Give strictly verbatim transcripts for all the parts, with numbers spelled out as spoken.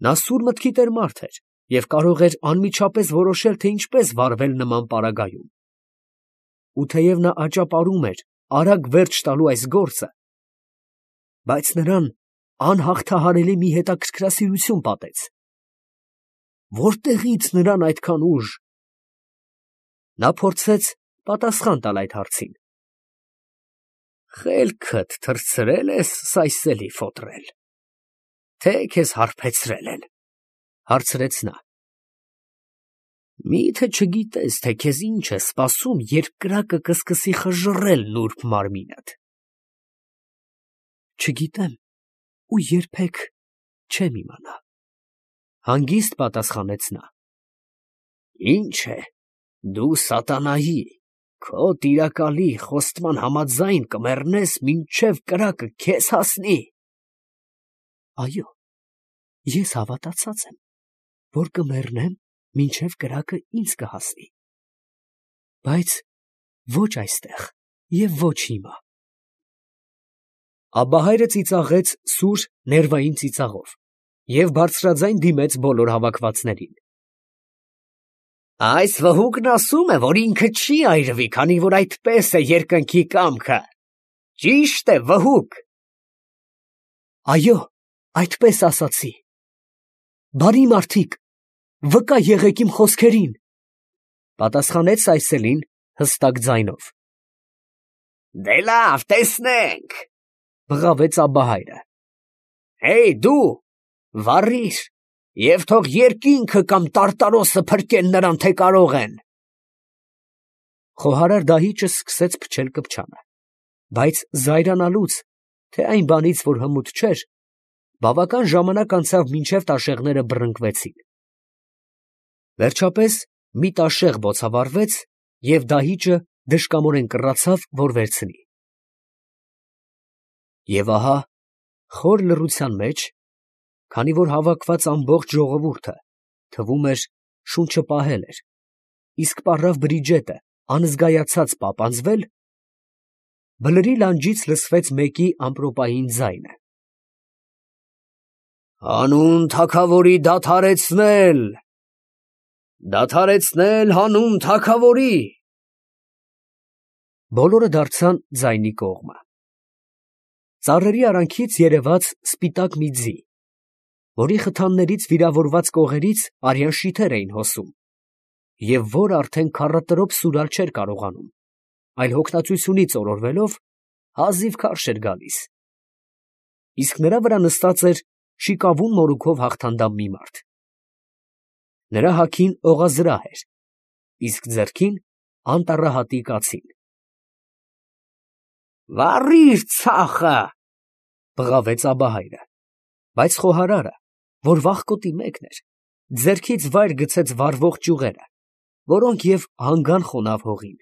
Նա սուր մտքի տեր մարդ էր և կարող էր անմիջապես որոշել, թե ինչպես վարվել նման պարագայում. ու թեև նա աճապարում էր արագ վերջ տալու այս գործը, բայց նրան անհաղթահարելի մի հետաքրքրասիրություն պատեց. որտեղի՞ց նրան այդքան ուժ։ Նա փորձեց պատասխան տալ այդ հարցին։ «Խելքդ թռցրել ես սայսելի ֆոտրել, թե քեզ հարբեցրել են, ֊ հարցրեց նա։ ֊ Մի՞թե չգիտես, թե քեզ ինչ է սպասում, երբ կրակը կսկսի խժռել նուրբ մարմինդ։ ֊ Չգիտեմ ու երբեք չեմ իմանա, ֊ հանգիստ պատասխանեց նա։ ֊ Ի՞նչ է, դու սատանայի, քո տիրակալի խոստման համաձայն կմեռնես, մինչև կրակը քեզ հասնի։ ֊ Այո, ես հավատացած եմ, որ կմեռնեմ, մինչև կրակը ինձ կհասնի, բայց ոչ այստեղ և ոչ հիմա։ Աբահայրը ծիծաղեց սուր ներվային ծիծաղով և բարձրաձայն դիմեց բոլոր հավաքվածներին։ Այս վհուկն ասում է, որ ինքը չի այրվի, քանի որ այդպես է երկնքի կամքը, ճի՞շտ է, վհուկ։ ֊ Այո, այդպես ասացի։ Բարի մարդիկ, վկա եղեք իմ խոսքերին, ֊ պատասխանեց այսելին հստակ ձայնով։ ֊ Դե լավ, տեսնենք, ֊ բղավեց աբահայրը։ Հեյ դու, վառիր և թող երկինքը կամ տարտարոսը փրկեն նրան, թե կարող են։ Խոհարար դահիճը սկսեց փչել կպչանը, բայց զայրանալուց, թե այն բանից, որ հմուտ չէր, բավական ժամանակ անցավ, մինչև տաշեղները բռնկվեցին։ Վերջապես մի տաշեղ բոցավառվեց, և դահիճը դժկամորեն կռացավ, որ վերցնի։ Եվ ահա խոր լռության մեջ, քանի որ հավաքված ամբողջ ժողովուրդը, թվում էր, շունչը պահել էր, իսկ պառավ Բրիջետը անզգայացած պապանձվել, բլրի լանջից լսվեց մեկի ամպրոպային ձայնը. «Հանուն թագավորի դադարեցնել, դադարեցնել հանուն թագավորի»։ Բոլորը դարձան ձայնի կողմը։ Ծառերի արանքից երևաց սպիտակ մի ձի, որի խթաններից վիրավորված կողերից արյան շիթեր էին հոսում, և որը արդեն քառատրոփ սուրալ չէր կարողանում, այլ հոգնածությունից օրորվելով հազիվ քարշ էր գալիս, իսկ նրա վրա նստած էր շիկավուն մորուքով հաղթանդամ մի մարդ։ Նրա հագին օղազրահ էր, իսկ ձեռքին անտառահատի կացին։ «Վառի՛ր ցախը, ֊ բղավեց աբահայրը, բայց խոհարարը, որ վախկոտի մեկն էր, ձեռքից վայր գցեց վառվող ճյուղերը, որոնք և հանգան խոնավ հողին։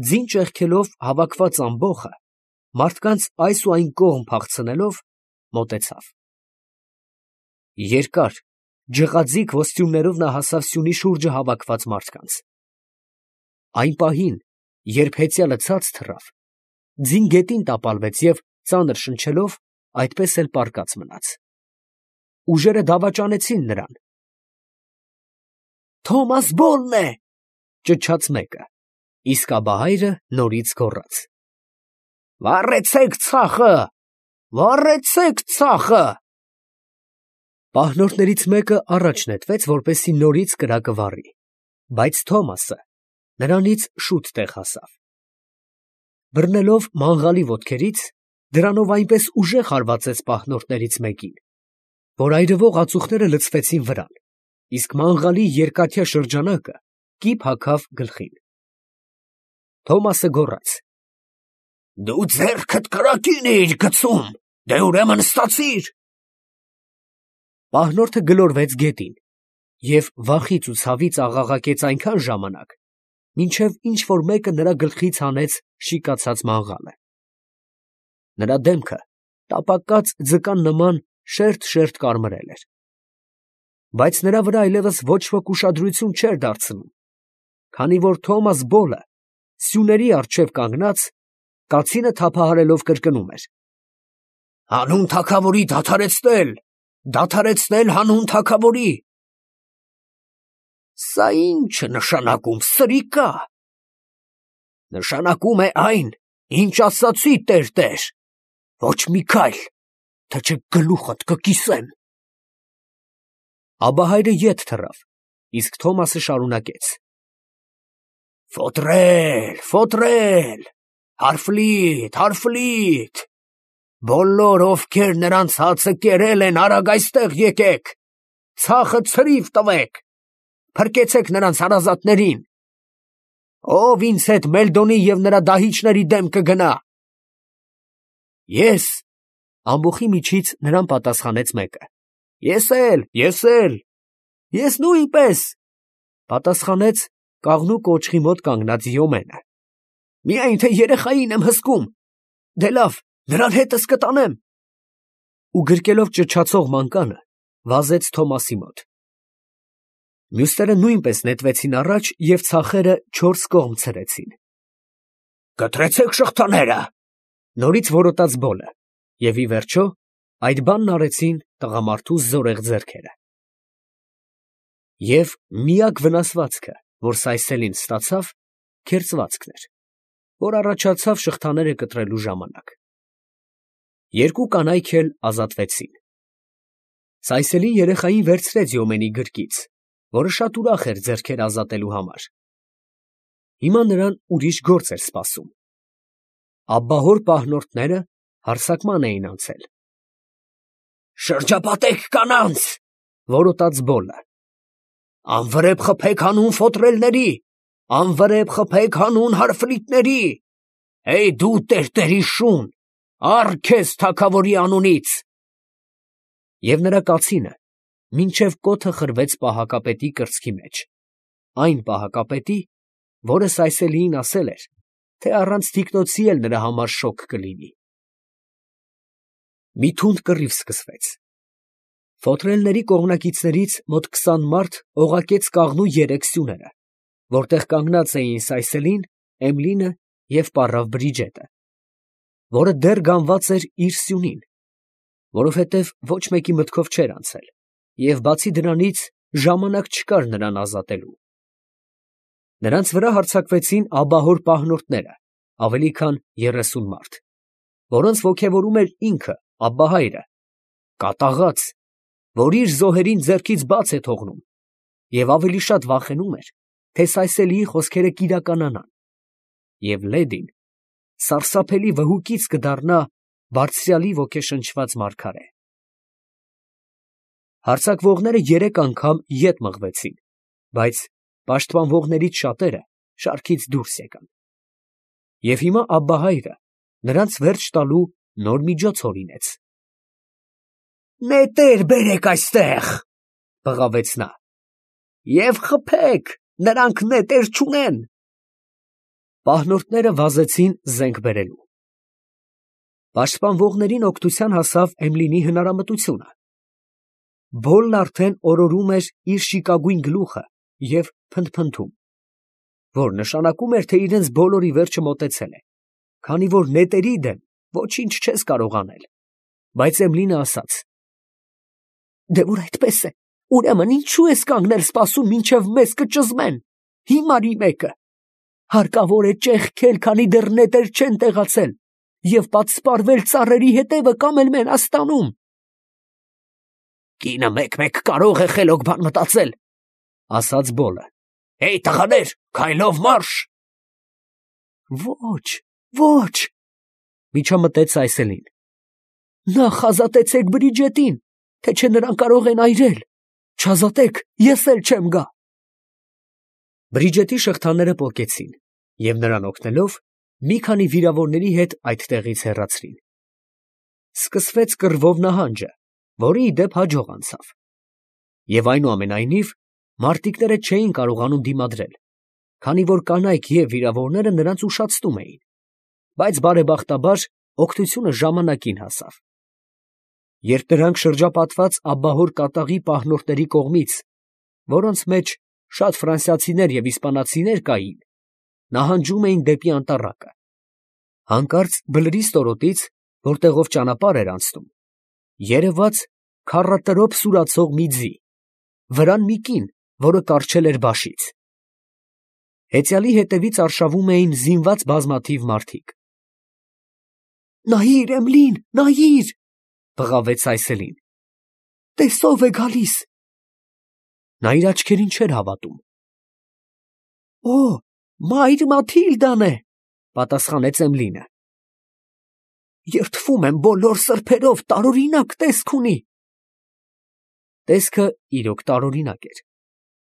Ձին ճեղքելով հավաքված ամբոխը, մարդկանց այս ու այն կողմ փախցնելով, մոտեցավ։ Երկար ջղաձիգ ոսტյումներով նա հասավ սյունի շուրջը հավաքված մարդկանց։ Այն պահին, երբ հեծյալը ցած թռավ, ձին գետին տապալվեց և, ծանր շնչելով, այդպես էլ պառկած մնաց։ Ուժերը դավաճանեցին նրան։ «Թոմաս Բոլն է, ֊ ճչաց մեկը, իսկ աբահայրը նորից գոռաց. Վառեցե՛ք ցախը, վառեցե՛ք ցախը։ Պահնորդներից մեկը առաջ նետվեց, որպեսզի նորից կրակը վառի, բայց Թոմասը նրանից շուտ տեղ հասավ։ Բռնելով մանղալի ոտքերից, դրանով այնպես ուժեղ հարվածեց պահնորդներից մեկին, որ այրվող ածուխները լցվեցին վրան, իսկ մանղալի երկաթյա շրջանակը կիպ հագավ գլխին։ Թոմասը գոռաց. «Դու ձեռքդ կրակին էիր գցում, դե ուրեմն ստացիր»։ Պահնորդը գլորվեց գետին և վախից ու ցավից աղաղակեց այնքան ժամանակ, մինչև ինչ֊որ մեկը նրա գլխից հանեց շիկացած մանղալը։ Նրա դեմքը տապակած ձկան նման շերտ֊շերտ կարմրել էր, բայց նրա վրա այլևս ոչ ոք ուշադրություն չէր դարձնում, քանի որ Թոմաս Բոլը սյուների առջև կանգնած, կացինը թափահարելով կրկնում էր. «Հանուն թագավորի դադարեցնել, դադարեցնել հանուն թագավորի։ Սա ի՞նչ է նշանակում, սրիկա։ Նշանակում է այն, ինչ ասացի, տեր, ոչ մի քայլ, թե չէ գլուխդ կկիսեմ։ Աբահայրը ետ թռավ, իսկ Թոմասը շարունակեց. Ֆոտրել, ֆոտրել, հարֆլիտ, հարֆլիտ, բոլոր ովքեր նրանց հացը կերել են, արագ այստեղ եկեք, ցախը ցրիվ տվեք, փրկեցեք նրանց հարազատներին, ով ինձ հետ Մելդոնի և նրա դահիճների դեմ կգնա։ Ես, ամբոխի միջից նրան պատասխանեց մեկը։ Ես էլ, ես էլ, ես նույնպես, պատասխանեց կաղնու կոճղի մոտ կանգնած Յոմենը։ Միայն թե երեխային եմ հսկում, դե լավ, նրան հետս կտանեմ։ Ու գրկելով ճչացող մանկանը, վազեց Թոմասի մոտ։ Մյուսները նույնպես նետվեցին առաջ և ցախերը չորս կողմ ցրեցին։ Կտրեցեք շղթաները, նորից որոտաց Բոլը, և ի վերջո այդ բանն արեցին տղամարդու զորեղ ձեռքերը։ Եվ միակ վնասվածքը, որ Սայսելին ստացավ, քերծվածքն էր, որ առաջացավ շղթաները կտրելու ժամանակ։ Երկու կանայք էլ ազատվեցին։ Սայսելին երեխային վերցրեց Յոմենի գրկից, որը շատ ուրախ էր ձեռքեր ազատելու համար։ Հիմա նրան ուրիշ գործ էր սպասում։ Աբբահոր պահնորդները հարձակման էին անցել։ Շրջապատեք կանանց, որոտաց Բոլը։ Անվրեպ խփեք հանուն ֆոտրելների, անվրեպ խփեք հանուն հարֆլիտների, հեյ դու տերտերի շուն, առ քեզ թագավորի անունից։ Եվ նրա կացինը մինչև կոթը խրվեց պահակապետի կրծքի մեջ, այն պահակապետի, որը Սայսելիին ասել էր, թե առանց թիկնոցի էլ նրա համար շոգ կլինի։ Մի թունդ կռիվ սկսվեց։ Ֆոտրելների կողմնակիցներից մոտ քսան մարդ օղակեց կաղնու երեք սյուները, որտեղ կանգնած էին Սայսելին, Էմլինը և պառավ Բրիջետը, որը դեռ գանված էր իր սյունին, որովհետև ոչ մեկի մտքով չէր անցել, և բացի դրանից ժամանակ չկար նրան ազատելու։ Նրանց վրա հարձակվեցին աբահոր պահնորդները, ավելի քան երեսուն մարդ, որոնց ոգևորում էր ինքը, Աբբահայրը, կատաղած, որ իր զոհերին ձեռքից բաց է թողնում, և ավելի շատ վախենում էր, թե Սայսելիի խոսքերը կիրականանան, և Լեդին սարսափելի վհուկից կդառնա բարձրյալի ոգեշնչված մարգարե։ Հարձակվողները երեք անգամ ետ մղվեցին, բայց պաշտպանվողներից շատերը շարքից դուրս եկան։ Եվ հիմա Աբբահայրը նրանց վերջ տալու նոր միջոց հորինեց։ Նետեր բերեք այստեղ, բղավեց նա, և խփեք, նրանք նետեր չունեն։ Պահնորդները վազեցին զենք բերելու։ Պաշտպանվողներին օգնության հասավ Էմլինի հնարամտությունը։ Բոլն արդեն օրորում էր իր շիկագույն գլուխը և փնթփնթում, որ նշանակում էր, թե իրենց բոլորի վերջը մոտեցել է, քանի որ նետերի դեմ ոչինչ չես կարող անել, բայց Էմլինը ասաց. Դե որ այդպես է, ուրեմն ինչու ես կանգնել սպասում, մինչև մեզ կճզմեն, հիմարի մեկը, հարկավոր է ճեղքել, քանի դեռ նետեր չեն տեղացել, և պատսպարվել ծառերի հետևը կամ էլ Մենաստանում։ Կինը մեկ-մեկ կարող է խելոք բան մտածել, ասաց Բոլը։ Հեյ տղաներ, քայլով մարշ։ Ոչ, ոչ, միջամտեց Սայսելին։ Նախ ազատեցեք Բրիջետին, թե չէ նրան կարող են այրել, չազատեք, ես էլ չեմ գա։ Բրիջետի շղթաները պոկեցին, և նրան օգնելով, մի քանի վիրավորների հետ այդտեղից հեռացրին։ Սկսվեց կռվով նահանջը, որը ի դեպ հաջող անցավ։ Եվ այնուամենայնիվ մարտիկները չէին կարողանում դիմադրել, քանի որ կանայք և վիրավորները նրանց ուշացնում էին, բայց բարեբախտաբար օգնությունը ժամանակին հասավ։ Երբ նրանք շրջապատված աբբահոր կատաղի պահնորդների կողմից, որոնց մեջ շատ ֆրանսիացիներ և իսպանացիներ կային, նահանջում էին դեպի անտառակը, հանկարծ բլրի ստորոտից, որտեղով ճանապարհ էր անցնում, երևաց քառատրոփ սուրացող մի ձի, վրան մի կին, որը կառչել էր բաշից։ Հեծյալի հետևից արշավում էին զինված բազմաթիվ մարդիկ։ «Նայիր, Էմլին, նայիր», բղավեց Այսելին։ «Տես ով է գալիս»։ Նա իր աչքերին չէր հավատում։ «Օ, մայր Մաթիլդան է», պատասխանեց Էմլինը։ «Երդվում եմ բոլոր սրբերով, տարօրինակ տեսք ունի»։ Տեսքը իրոք տարօրինակ էր,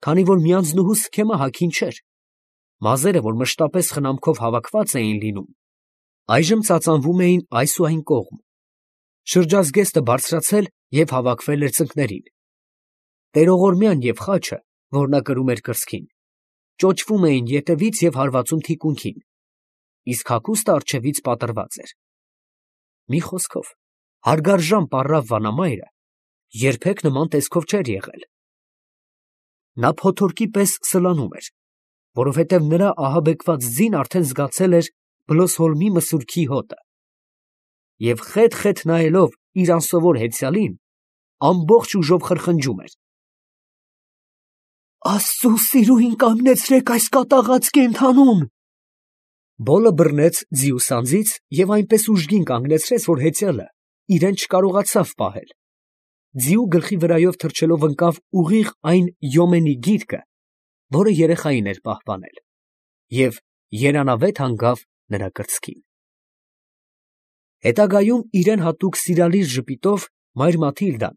քանի որ մի անձնուհու սքեմը հագին չէր։ Մազերը, որ մշտապես խնամքով հավաքված էին լինում, այժմ ծածանվում էին այս ու այն կողմ։ Շրջազգեստը բարձրացել և հավաքվել էր ծնկներին։ Տերողորմյան և խաչը, որ նա կրում էր կրծքին, ճոճվում էին ետևից և հարվածում թիկունքին, իսկ հագուստը առջևից պատռված էր։ Մի խոսքով, հարգարժան պառավ վանամայրը երբեք նման տեսքով չէր եղել։ Նա փոթորկի պես սլանում էր, որովհետև նրա ահաբեկված ձին արդեն զգացել էր Բլոսհոլմի մսուրքի հոտը, և խետ֊խետ նայելով իր անսովոր հեծյալին, ամբողջ ուժով խրխնջում էր. «Աստծու սիրուհին կանգնեցրեք այս կատաղած կենդանուն»։ Բոլը բռնեց ձիու սանձից և այնպես ուժգին կանգնեցրեց, որ հեծյալը իրեն չկարողացավ պահել։ Ձիու գլխի վրայով թռչելով ընկավ ուղիղ այն յոմենի գիրկը, որը երեխային էր պահպանել, և երանավետ հանգավ նրա կրծքին։ Հետագայում իրեն հատուկ սիրալիր ժպիտով մայր Մաթիլդան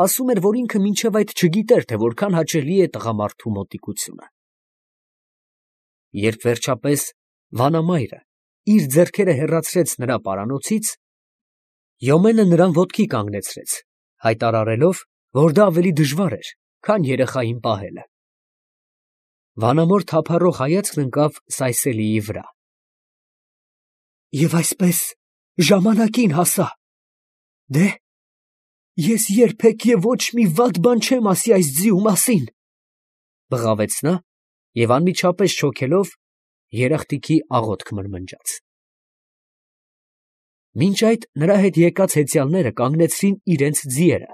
ասում էր, որ ինքը մինչև այդ չգիտեր, թե որքան հաճելի է տղամարդու մոտիկությունը։ Երբ վերջապես վանամայրը իր ձեռքերը հեռացրեց նրա պարանոցից, Յոմենը նրան ոտքի կանգնեցրեց, հայտարարելով, որ դա ավելի դժվար էր, քան երեխային պահելը։ Վանամոր թափառող հայացքն ընկավ Սայսելիի վրա։ «Եվ այսպես ժամանակին հասա։ Դե, ես երբեք և ոչ մի վատ բան չեմ ասի այս ձիու մասին», բղավեց նա և անմիջապես շոգելով երախտիկի աղոթք մրմնջաց։ Մինչ այդ նրա հետ եկած հեծյալները կանգնեցրին իրենց ձիերը,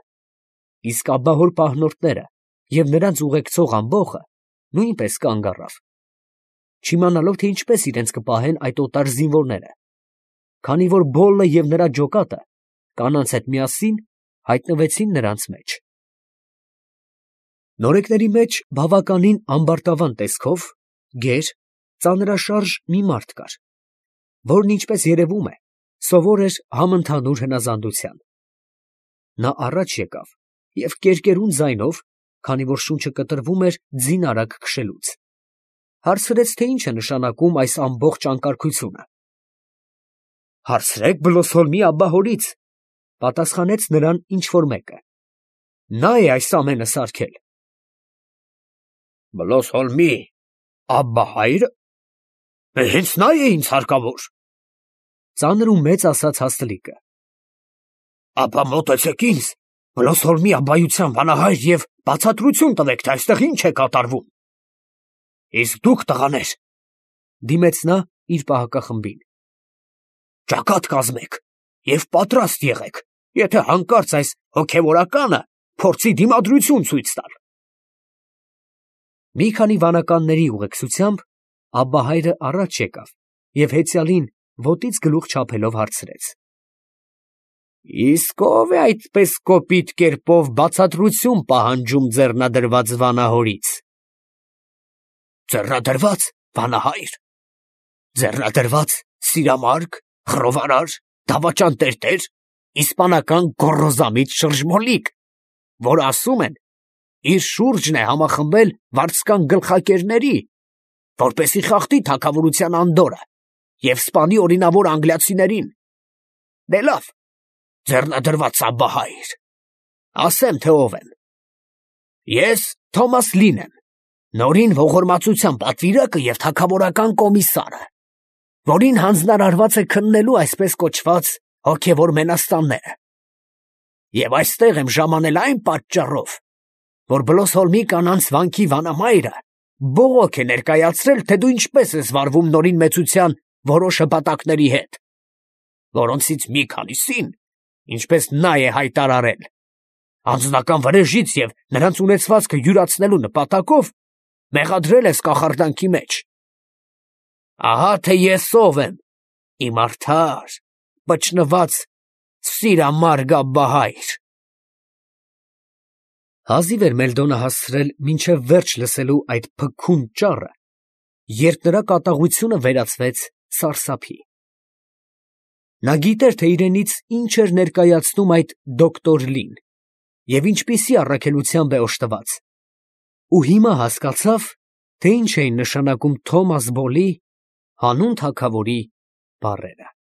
իսկ աբահոր պահնորդները և նրանց ուղեկցող ամբոխը նույնպես կանգ առավ, չիմանալով, թե ինչպես իրենց կպահեն այդ օտար զինվորները, քանի որ Բոլը և նրա ջոկատը կանանց հետ միասին հայտնվեցին նրանց մեջ։ Նորեկների մեջ բավականին ամբարտավան տեսքով, գեր, ծանրաշարժ մի մարդ կար, որն, ինչպես երևում է, սովոր էր համընդհանուր հնազանդության։ Նա առաջ եկավ և կերկերուն ձայնով, քանի որ շունչը կտրվում էր ձին արագ քշելուց, հարցրեց, թե ինչ է նշանակում այս ամբողջ անկարգությունը։ «Հարցրեք Բլոսհոլմի աբբահորից», պատասխանեց նրան ինչ֊որ մեկը. «Նա է այս ամենը սարքել»։ «Բլոսհոլմի աբբահա՞յրը. հենց նա է ինձ հարկավոր», ծանր ու մեծ ասաց հաստլիկը։ «Ապա մոտեցեք ինձ, Բլոսհոլմի աբբայության վանահայր, և բացատրություն տվեք, թե այստեղ ինչ է կատարվում»։ «Իսկ դուք, տղաներ, ֊ դիմեց նա իր պահակախմբին, ֊ ճակատ կազմեք և պատրաստ եղեք, եթե հանկարծ այս հոգևորականը փորձի դիմադրություն ցույց տալ»։ Մի քանի վանականների ուղեկցությամբ աբբահայրը առաջ եկավ և հեծյալին ոտից գլուխ չափելով հարցրեց. «Իսկ ո՞վ է այդպես կոպիտ կերպով բացատրություն պահանջում ձեռնադրված վանահորից»։ «Ձեռնադրվա՞ծ, վանահայր, ձեռնադրվա՞ծ սիրամարգ, խռովարար, դավաճան տերտեր, իսպանական գոռոզամիտ շրջմոլիկ, որ ասում են, իր շուրջն է համախմբել վարձկան գլխակերների, որպեսզի խախտի թագավորության անդորրը և սպանի օրինավոր անգլիացիներին։ Դե լավ, ձեռնադրված աբբահայր, ասեմ, թե ով եմ։ Ես Թոմաս Լին եմ, Նորին ողորմածության պատվիրակը և թագավորական կոմիսարը, որին հանձնարարված է քննելու այսպես կոչված հոգևոր մենաստանները։ Եվ այստեղ եմ ժամանել այն պատճառով, որ Բլոսհոլմի կանանց վանքի վանամայրը բողոք է ներկայացրել, թե դու ինչպես ես վարվում Նորին մեծության որոշ հպատակների հետ, որոնցից մի քանիսին, ինչպես նա է հայտարարել, Անձնական վրեժից և նրանց ունեցվածքը յուրացնելու նպատակով մեղադրել ես կախարդանքի մեջ։ Ահա թե ես ով եմ, իմ արդար, պճնված սիրամարգաբահայր։ Հազիվ էր Մելդոնը հասցրել մինչև վերջ լսելու այդ փքուն ճառը, երբ նրա կատաղությունը վերածվեց սարսափի։ Նա գիտեր, թե իրենից ինչ էր ներկայացնում այդ դոկտոր Լին և ինչպիսի առաքելությամբ է օժտված, ու հիմա հասկացավ, թե ինչ էին նշանակում Թոմաս Բոլի, հանուն թագավորի բառերը։